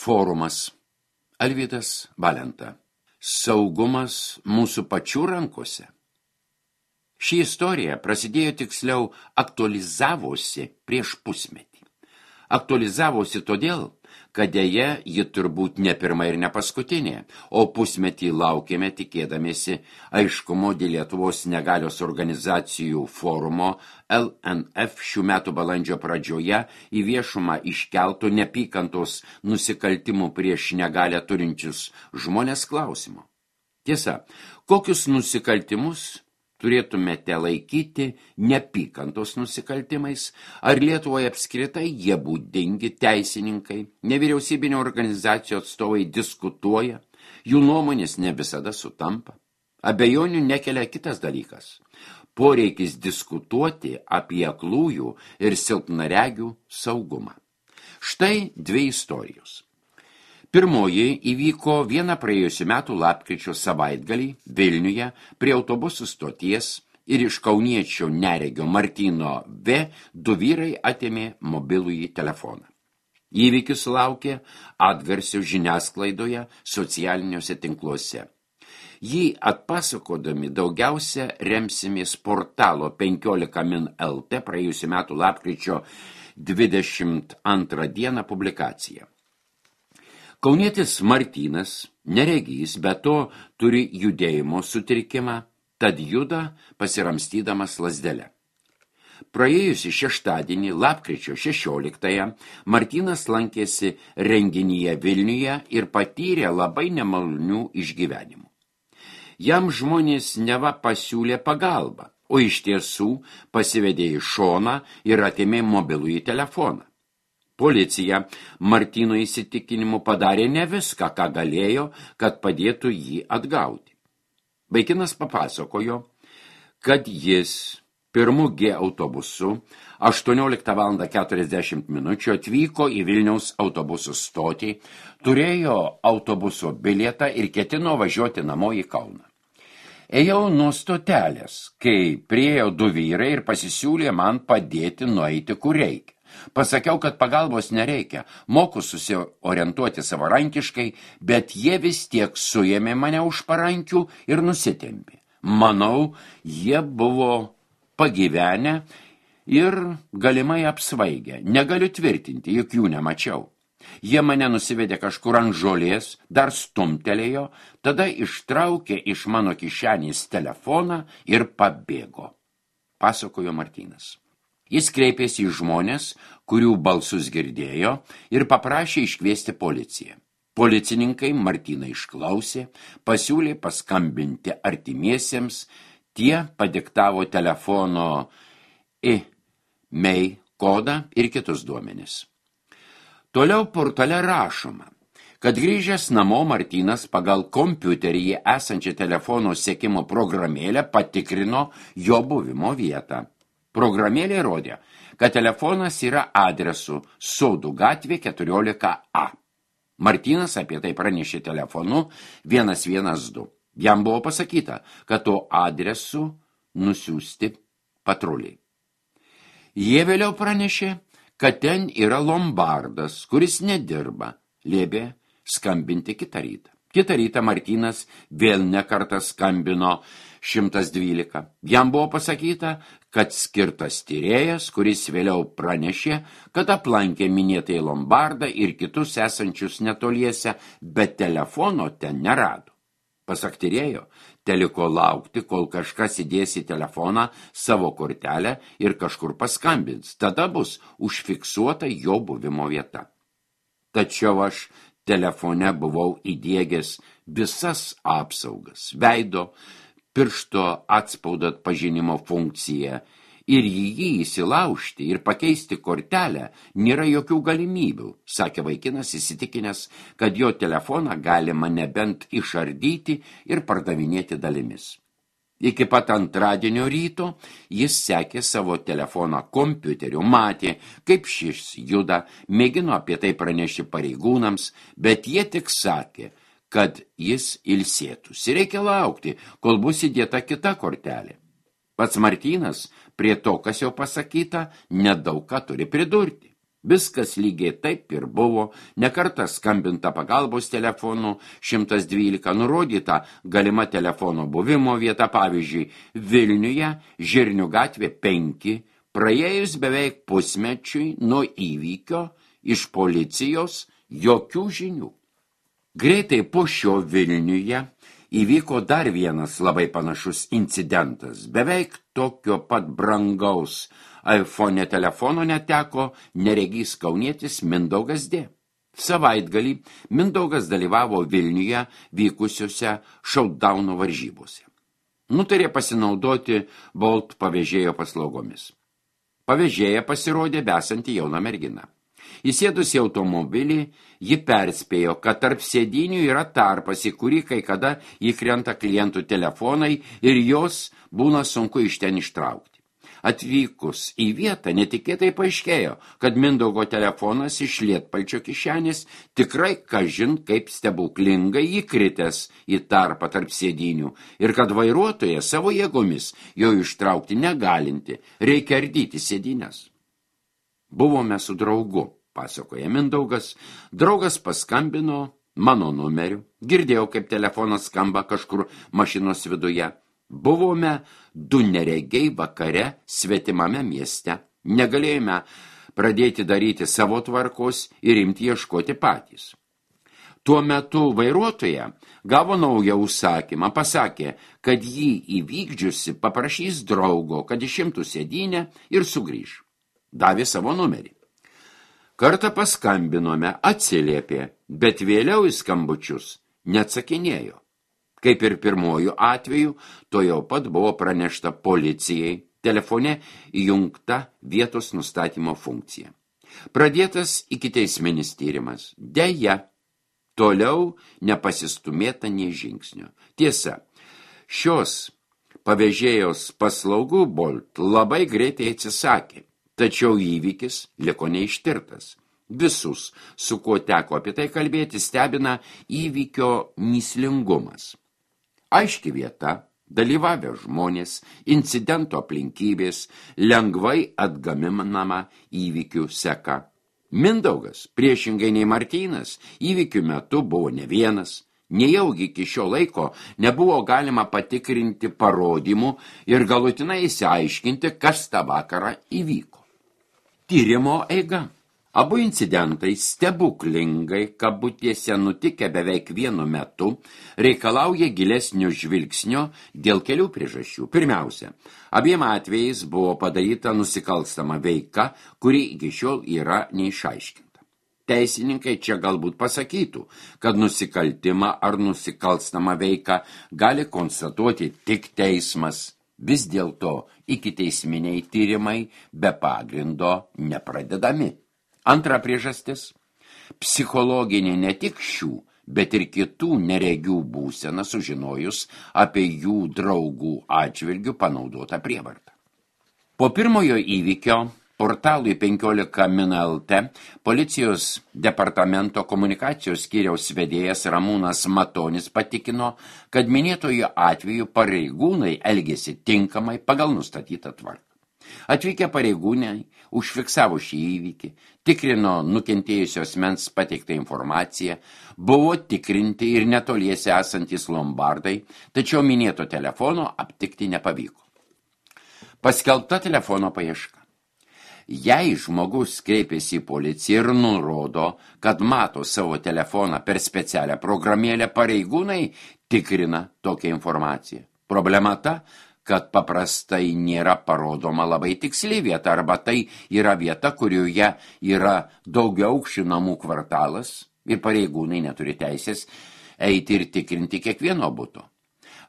Forumas. Alvydas Valenta. Saugumas mūsų pačių rankose. Ši istorija prasidėjo, tiksliau, aktualizavosi prieš pusmetį. Aktualizavosi todėl, kad deja ji turbūt ne pirma ir ne paskutinė, o pusmetį laukėme tikėdamiesi aiškumo dėl Lietuvos negalios organizacijų forumo LNF šių metų balandžio pradžioje į viešumą iškeltų neapykantos nusikaltimų prieš negalią turinčius žmonės klausimo. Tiesa, kokius nusikaltimus turėtumėte laikyti neapykantos nusikaltimais, ar Lietuvoje apskritai jie būdingi teisininkai, nevyriausybinio organizacijų atstovai diskutuoja, jų nuomonės ne visada sutampa. Abejonių nekelia kitas dalykas – poreikis diskutuoti apie aklųjų ir silpnaregių saugumą. Štai dvi istorijos. Pirmoji įvyko vieną praėjusių metų lapkričio savaitgalį Vilniuje prie autobusų stoties ir iš kauniečio neregio Martyno V. du vyrai atėmė mobilųjį telefoną. Įvykis sulaukė atgarsio žiniasklaidoje socialiniuose tinkluose. Jį atpasakodami daugiausia remsimės portalo 15 min LT praėjusių metų lapkričio 22 dieną publikaciją. Kaunietis Martynas, neregys, bet to turi judėjimo sutrikimą, tad juda pasiramstydamas lazdelę. Praėjusį šeštadienį, lapkričio 16-ąją, Martynas lankėsi renginyje Vilniuje ir patyrė labai nemalonių išgyvenimų. Jam žmonės neva pasiūlė pagalbą, o iš tiesų pasivedė į šoną ir atėmė mobilųjį telefoną. Policija Martyno įsitikinimu padarė ne viską, ką galėjo, kad padėtų jį atgauti. Vaikinas papasakojo, kad jis pirmu G autobusu 18:40 atvyko į Vilniaus autobusų stotį, turėjo autobuso bilietą ir ketino važiuoti namo į Kauną. Ėjau nuo stotelės, kai priėjo du vyrai ir pasisiūlė man padėti nueiti kur reikia. Pasakiau, kad pagalbos nereikia, moku susiorientuoti savarankiškai, bet jie vis tiek suėmė mane už parankių ir nusitempė. Manau, jie buvo pagyvenę ir galimai apsvaigę. Negaliu tvirtinti, juk jų nemačiau. Jie mane nusivedė kažkur ant žolės, dar stumtelėjo, tada ištraukė iš mano kišenės telefoną ir pabėgo, pasakojo Martynas. Jis kreipėsi į žmonės, kurių balsus girdėjo, ir paprašė iškviesti policiją. Policininkai Martyną išklausė, pasiūlė paskambinti artimiesiems, tie padiktavo telefono IMEI kodą ir kitus duomenis. Toliau portale rašoma, kad grįžęs namo Martynas pagal kompiuteryje esančią telefono sekimo programėlę patikrino jo buvimo vietą. Programėlė rodė, kad telefonas yra adresu Sodų gatvė 14A. Martynas apie tai pranešė telefonu 112. Jam buvo pasakyta, kad to adresu nusiųsti patruliai. Jie vėliau pranešė, kad ten yra lombardas, kuris nedirba, liepė skambinti kitą rytą. Kitą rytą Martynas vėl nekartą skambino 112. Jam buvo pasakyta, kad skirtas tyrėjas, kuris vėliau pranešė, kad aplankė minėtai lombardą ir kitus esančius netoliese, bet telefono ten nerado. Pasak tyrėjo, teliko laukti, kol kažkas įdės į telefoną savo kortelę ir kažkur paskambins. Tada bus užfiksuota jo buvimo vieta. Tačiau aš telefone buvau įdiegęs visas apsaugas, veido, piršto atspaudo atpažinimo funkciją ir jį įsilaužti ir pakeisti kortelę nėra jokių galimybių, sakė vaikinas įsitikinęs, kad jo telefoną galima nebent išardyti ir pardavinėti dalimis. Iki pat antradienio ryto jis sekė savo telefoną kompiuteriu, matė, kaip šis juda, mėgino apie tai pranešti pareigūnams, bet jie tik sakė, kad jis ilsėtųsi. Reikia laukti, kol bus įdėta kita kortelė. Pats Martynas prie to, kas jau pasakyta, nedaug ką turi pridurti. Viskas lygiai taip ir buvo, nekartą skambinta pagalbos telefonu 112, nurodyta galima telefono buvimo vieta, pavyzdžiui, Vilniuje, Žirnių gatvė 5, praėjus beveik pusmečiui nuo įvykio iš policijos jokių žinių. Greitai po šio Vilniuje įvyko dar vienas labai panašus incidentas. Beveik tokio pat brangaus iPhone telefono neteko neregys kaunietis Mindaugas D. Savaitgalį Mindaugas dalyvavo Vilniuje vykusiuose showdowno varžybose. Nutarė pasinaudoti Bolt pavėžėjo paslaugomis. Pavėžėja pasirodė besanti jauna mergina. Įsėdus į automobilį, ji perspėjo, kad tarp sėdinių yra tarpas, į kurį kai kada įkrenta klientų telefonai ir jos būna sunku iš ten ištraukti. Atvykus į vietą netikėtai paaiškėjo, kad Mindaugo telefonas iš lietpalčio kišenės tikrai kažin kaip stebuklingai įkritęs į tarpą tarp sėdinių ir kad vairuotoja savo jėgomis jo ištraukti negalinti, reikia ardyti sėdines. Buvome su draugu, pasakoja Mindaugas. Draugas paskambino mano numeriu. Girdėjau, kaip telefonas skamba kažkur mašinos viduje. Buvome du neregiai vakare svetimame mieste. Negalėjome pradėti daryti savo tvarkos ir imti ieškoti patys. Tuo metu vairuotoja gavo naują užsakymą, pasakė, kad jį įvykdžiusi paprašys draugo, kad išimtų sėdynę ir sugrįž. Davė savo numerį. Kartą paskambinome, atsiliepė, bet vėliau į skambučius neatsakinėjo. Kaip ir pirmojų atveju, to jau pat buvo pranešta policijai, telefone įjungta vietos nustatymo funkcija. Pradėtas ikiteisminis tyrimas. Deja, toliau nepasistumėta nei žingsnio. Tiesa, šios pavėžėjos paslaugų Bolt labai greitai atsisakė. Tačiau įvykis liko neištirtas. Visus, su kuo teko apie tai kalbėti, stebina įvykio mįslingumas. Aiški vieta, dalyvavę žmonės, incidento aplinkybės, lengvai atgaminama įvykių seka. Mindaugas, priešingai nei Martynas, įvykių metu buvo ne vienas. Nejaugi iki šio laiko nebuvo galima patikrinti parodymų ir galutinai išsiaiškinti, kas tą vakarą įvyko. Tyrimo eiga. Abu incidentai stebuklingai, kabutėse nutikę beveik vienu metu, reikalauja gilesnio žvilgsnio dėl kelių priežasčių. Pirmiausia, abiem atvejais buvo padaryta nusikalstama veika, kuri iki šiol yra neišaiškinta. Teisininkai čia galbūt pasakytų, kad nusikaltimą ar nusikalstamą veiką gali konstatuoti tik teismas. Vis dėlto ikiteisminiai tyrimai be pagrindo nepradedami. Antra priežastis – psichologinė ne tik šių, bet ir kitų neregių būseną sužinojus apie jų draugų atžvilgių panaudotą prievartą. Po pirmojo įvykio portalui 15 min LT policijos departamento komunikacijos skyriaus vedėjas Ramūnas Matonis patikino, kad minėtojo atveju pareigūnai elgėsi tinkamai pagal nustatytą tvarką. Atvykę pareigūnai užfiksavo šį įvykį, tikrino nukentėjusio asmens pateiktą informaciją, buvo tikrinti ir netoliese esantys lombardai, tačiau minėto telefono aptikti nepavyko. Paskelbta telefono paieška. Jei žmogus kreipiasi į policiją ir nurodo, kad mato savo telefoną per specialią programėlę, pareigūnai tikrina tokią informaciją. Problema ta, kad paprastai nėra parodoma labai tiksli vieta, arba tai yra vieta, kurioje yra daugiaaukščių namų kvartalas ir pareigūnai neturi teisės eiti ir tikrinti kiekvieno buto.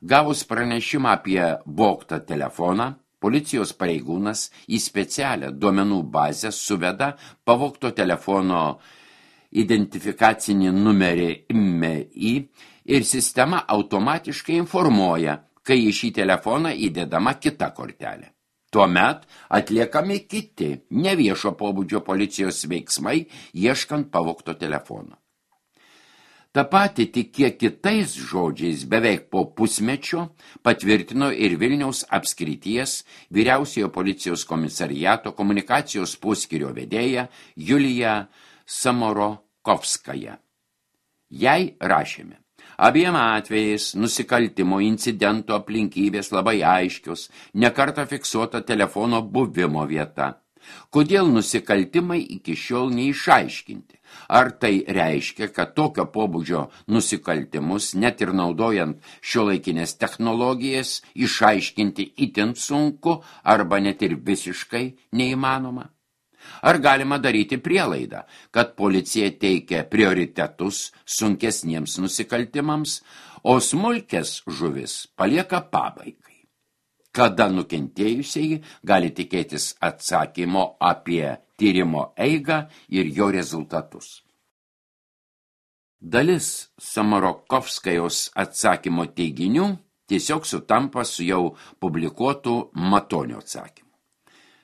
Gavus pranešimą apie vogtą telefoną, policijos pareigūnas į specialią duomenų bazę suveda pavogto telefono identifikacinį numerį IMEI ir sistema automatiškai informuoja, kai į šį telefoną įdedama kita kortelė. Tuomet atliekami kiti neviešo pobūdžio policijos veiksmai, ieškant pavogto telefono. Ta pati tik kiek kitais žodžiais beveik po pusmečio patvirtino ir Vilniaus apskrities vyriausiojo policijos komisariato komunikacijos poskyrio vedėja Julija Samorokovskaja. Jai rašėme. Abiem atvejais nusikaltimo incidento aplinkybės labai aiškios, nekartą fiksuota telefono buvimo vieta. Kodėl nusikaltimai iki šiol neišaiškinti? Ar tai reiškia, kad tokio pobūdžio nusikaltimus, net ir naudojant šiuolaikinės technologijas, išaiškinti itin sunku arba net ir visiškai neįmanoma? Ar galima daryti prielaidą, kad policija teikia prioritetus sunkesniems nusikaltimams, o smulkės žuvis palieka pabaigai? Kada nukentėjusieji gali tikėtis atsakymo apie tyrimo eigą ir jo rezultatus? Dalis Samorokovskajos atsakymo teiginių tiesiog sutampa su jau publikuotų Matonio atsakymu.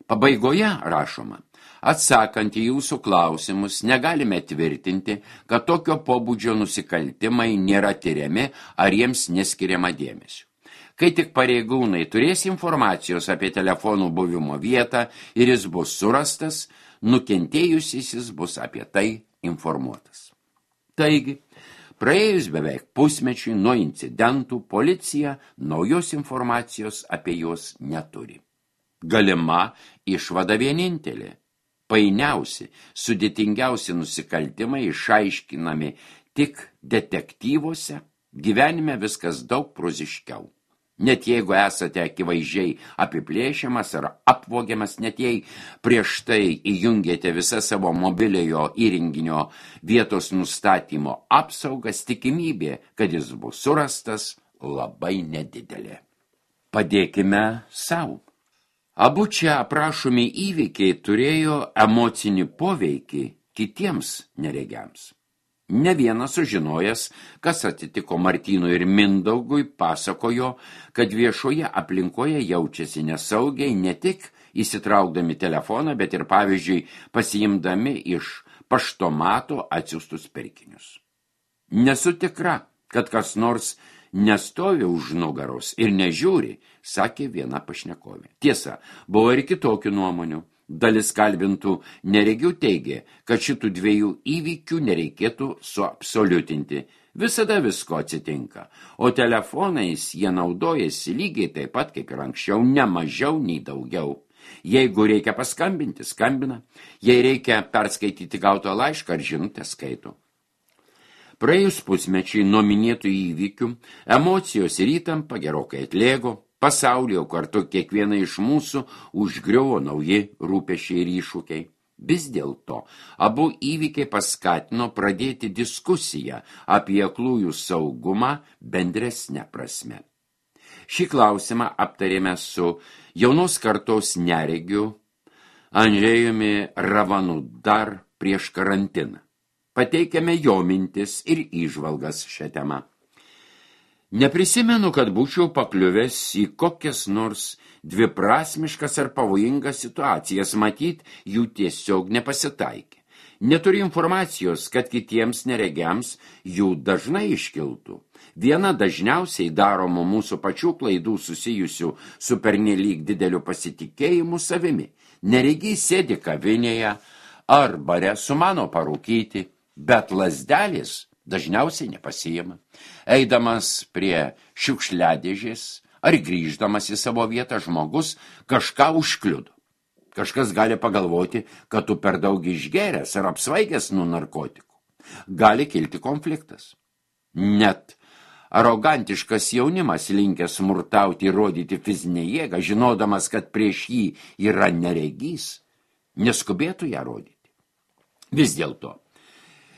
Pabaigoje rašoma, atsakant į jūsų klausimus, negalime tvirtinti, kad tokio pobūdžio nusikaltimai nėra tyriami ar jiems neskiriama dėmesio. Kai tik pareigūnai turės informacijos apie telefonų buvimo vietą ir jis bus surastas, nukentėjusysis bus apie tai informuotas. Taigi, praėjus beveik pusmečiui nuo incidentų, policija naujos informacijos apie juos neturi. Galima išvada vienintelė. Painiausi, sudėtingiausi nusikaltimai išaiškinami tik detektyvuose, gyvenime viskas daug proziškiau. Net jeigu esate akivaizdžiai apiplėšiamas ar apvogiamas, net jei prieš tai įjungėte visą savo mobiliojo įrenginio vietos nustatymo apsaugas, tikimybė, kad jis bus surastas, labai nedidelė. Padėkime savo. Abu čia aprašomi įvykiai turėjo emocinį poveikį kitiems neregiams. Ne vienas sužinojęs, kas atsitiko Martynui ir Mindaugui, pasakojo, kad viešoje aplinkoje jaučiasi nesaugiai ne tik įsitraukdami telefoną, bet ir pavyzdžiui pasiimdami iš paštomato atsiųstus pirkinius. Nesu tikra, kad kas nors nestovi už nugaros ir nežiūri, sakė viena pašnekovė. Tiesa, buvo ir kitokių nuomonių. Dalis kalbintų neregių teigė, kad šitų dviejų įvykių nereikėtų suabsoliutinti. Visada visko atsitinka, o telefonais jie naudojasi lygiai taip pat kaip ir anksčiau, ne mažiau nei daugiau. Jeigu reikia paskambinti, skambina. Jei reikia perskaityti gautą laišką ar žinutę, skaito. Praėjus pusmečiai nuo minėtų įvykių, emocijos ir įtampa gerokai atlėgo. Pasaulyje kartu kiekvieną iš mūsų užgriuvo nauji rūpesčiai ir iššūkiai. Vis dėlto, abu įvykiai paskatino pradėti diskusiją apie aklųjų saugumą bendresne prasme. Šį klausimą aptarėme su jaunos kartos neregiu Andžejumi Ravanu dar prieš karantiną. Pateikėme jo mintis ir įžvalgas šią temą. Neprisimenu, kad būčiau pakliuvęs į kokias nors dviprasmiškas ar pavojingas situacijas, matyt, jų tiesiog nepasitaikė. Neturiu informacijos, kad kitiems neregiams jų dažnai iškiltų. Viena dažniausiai daromų mūsų pačių klaidų susijusių su pernelyg dideliu pasitikėjimu savimi. Neregiai sėdi kavinėje ar bare sumano parūkyti, bet lazdelės dažniausiai nepasiima. Eidamas prie šiukšliadėžės ar grįždamas į savo vietą žmogus kažką užkliudo. Kažkas gali pagalvoti, kad tu per daug išgėręs ar apsvaigęs nuo narkotikų. Gali kilti konfliktas. Net arogantiškas jaunimas linkęs smurtauti ir rodyti fizinę jėgą, žinodamas, kad prieš jį yra neregys, neskubėtų ją rodyti. Vis dėlto,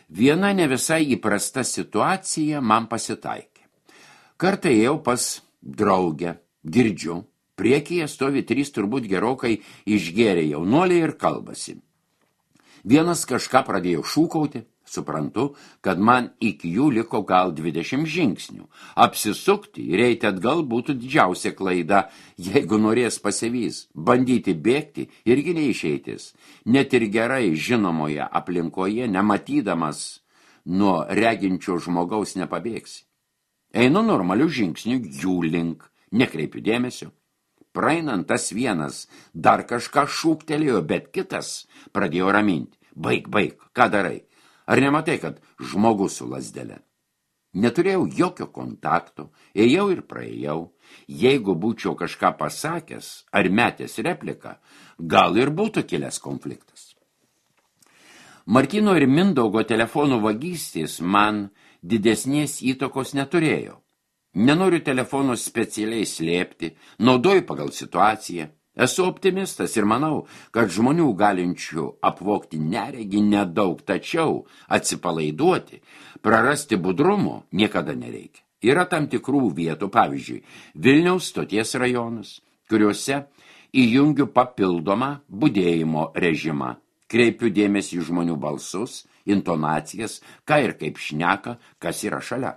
viena ne visai įprasta situacija man pasitaikė. Kartą ėjau pas draugę, girdžiu, priekyje stovi 3 turbūt gerokai išgėrę jaunuoliai ir kalbasi. Vienas kažką pradėjo šūkauti, suprantu, kad man iki jų liko gal 20 žingsnių. Apsisukti ir eiti atgal būtų didžiausia klaida, jeigu norės pasivys. Bandyti bėgti irgi neišeitis. Net ir gerai žinomoje aplinkoje, nematydamas nuo reginčio žmogaus nepabėgsi. Einu normaliu žingsniu jų link, nekreipiu dėmesio. Praeinant tas vienas dar kažką šūktelėjo, bet kitas pradėjo raminti. Baik, ką darai? Ar nematai, kad žmogus su lazdele? Neturėjau jokio kontakto, ėjau ir praėjau. Jeigu būčiau kažką pasakęs ar metęs repliką, gal ir būtų kilęs konfliktas. Martyno ir Mindaugo telefonų vagystės man didesnės įtakos neturėjo. Nenoriu telefonų specialiai slėpti, naudoju pagal situaciją. Esu optimistas ir manau, kad žmonių galinčių apvogti neregį nedaug, tačiau atsipalaiduoti, prarasti budrumo niekada nereikia. Yra tam tikrų vietų, pavyzdžiui, Vilniaus stoties rajonas, kuriuose įjungiu papildomą budėjimo režimą. Kreipiu dėmesį į žmonių balsus, intonacijas, ką ir kaip šneka, kas yra šalia.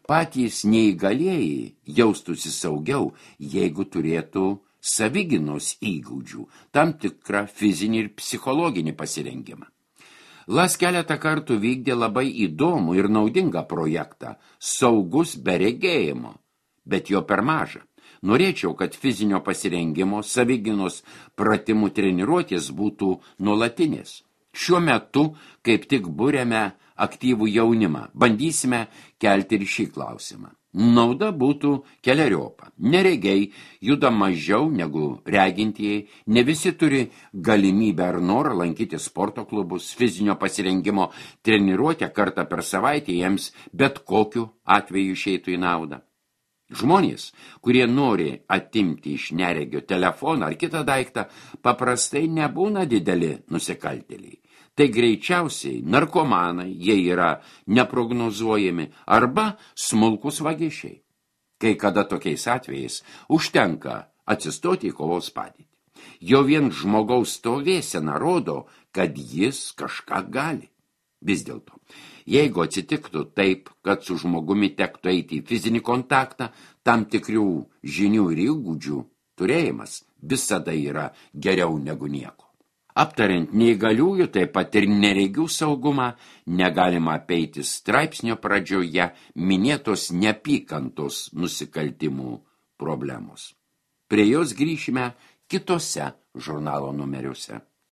Patys neįgalieji jaustųsi saugiau, jeigu turėtų savigynos įgūdžių, tam tikrą fizinį ir psichologinį pasirengimą. LAS keletą kartų vykdė labai įdomų ir naudingą projektą Saugus be regėjimo, bet jo per maža. Norėčiau, kad fizinio pasirengimo savigynos pratimų treniruotės būtų nuolatinės. Šiuo metu kaip tik buriame aktyvų jaunimą. Bandysime kelti ir šį klausimą. Nauda būtų keleriopa. Neregiai juda mažiau negu regintieji, ne visi turi galimybę ar norą lankyti sporto klubus, fizinio pasirengimo treniruotę kartą per savaitę jiems bet kokiu atveju išeitų į naudą. Žmonės, kurie nori atimti iš neregio telefoną ar kitą daiktą, paprastai nebūna dideli nusikaltėliai. Tai greičiausiai narkomanai, jie yra neprognozuojami, arba smulkus vagišiai. Kai kada tokiais atvejais užtenka atsistoti į kovos padėtį. Jo vien žmogaus stovėsena rodo, kad jis kažką gali. Vis dėlto, jeigu atsitiktų taip, kad su žmogumi tektų eiti į fizinį kontaktą, tam tikrių žinių ir įgūdžių turėjimas visada yra geriau negu nieko. Aptariant neįgaliųjų, taip pat ir neregių saugumą, negalima apeiti straipsnio pradžioje minėtos neapykantos nusikaltimų problemos. Prie jos grįšime kitose žurnalo numeriuose.